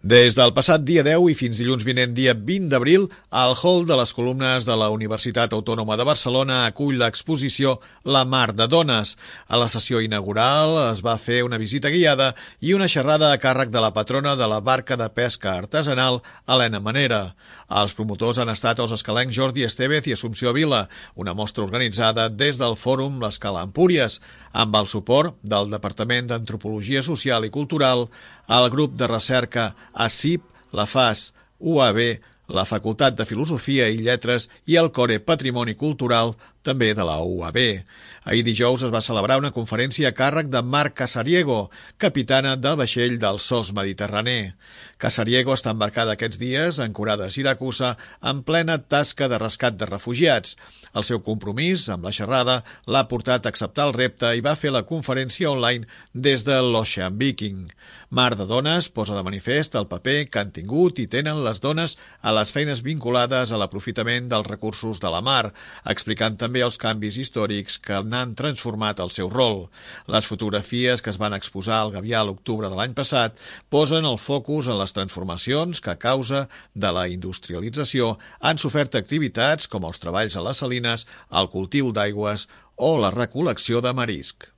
Des del passat dia 10 i fins dilluns vinent dia 20 d'abril, el hall de les columnes de la Universitat Autònoma de Barcelona acull l'exposició La Mar de Dones. A la sessió inaugural es va fer una visita guiada i una xerrada a càrrec de la patrona de la barca de pesca artesanal, Helena Manera. Els promotors han estat els escalencs Jordi Estevez i Assumpció Vila, una mostra organitzada des del Fòrum l'Escala Empúries, amb el suport del Departament d'Antropologia Social i Cultural, el grup de recerca ACIP, la FAS, UAB, la Facultat de Filosofia i Lletres i el Core Patrimoni Cultural, també de la UAB. Ahir dijous es va celebrar una conferència a càrrec de Mar Casariego, capitana del vaixell del SOS Mediterrani. Casariego està embarcada aquests dies, ancorada a Siracusa, en plena tasca de rescat de refugiats. El seu compromís amb la xerrada l'ha portat a acceptar el repte i va fer la conferència online des de l'Ocean Viking. Mar de Dones posa de manifest el paper que han tingut i tenen les dones a les feines vinculades a l'aprofitament dels recursos de la mar, explicant també els canvis històrics que n'han transformat el seu rol. Les fotografies que es van exposar al Gavià a l'octubre de l'any passat posen el focus en les transformacions que a causa de la industrialització han sofert activitats com els treballs a les salines, el cultiu d'aigües o la recol·lecció de marisc.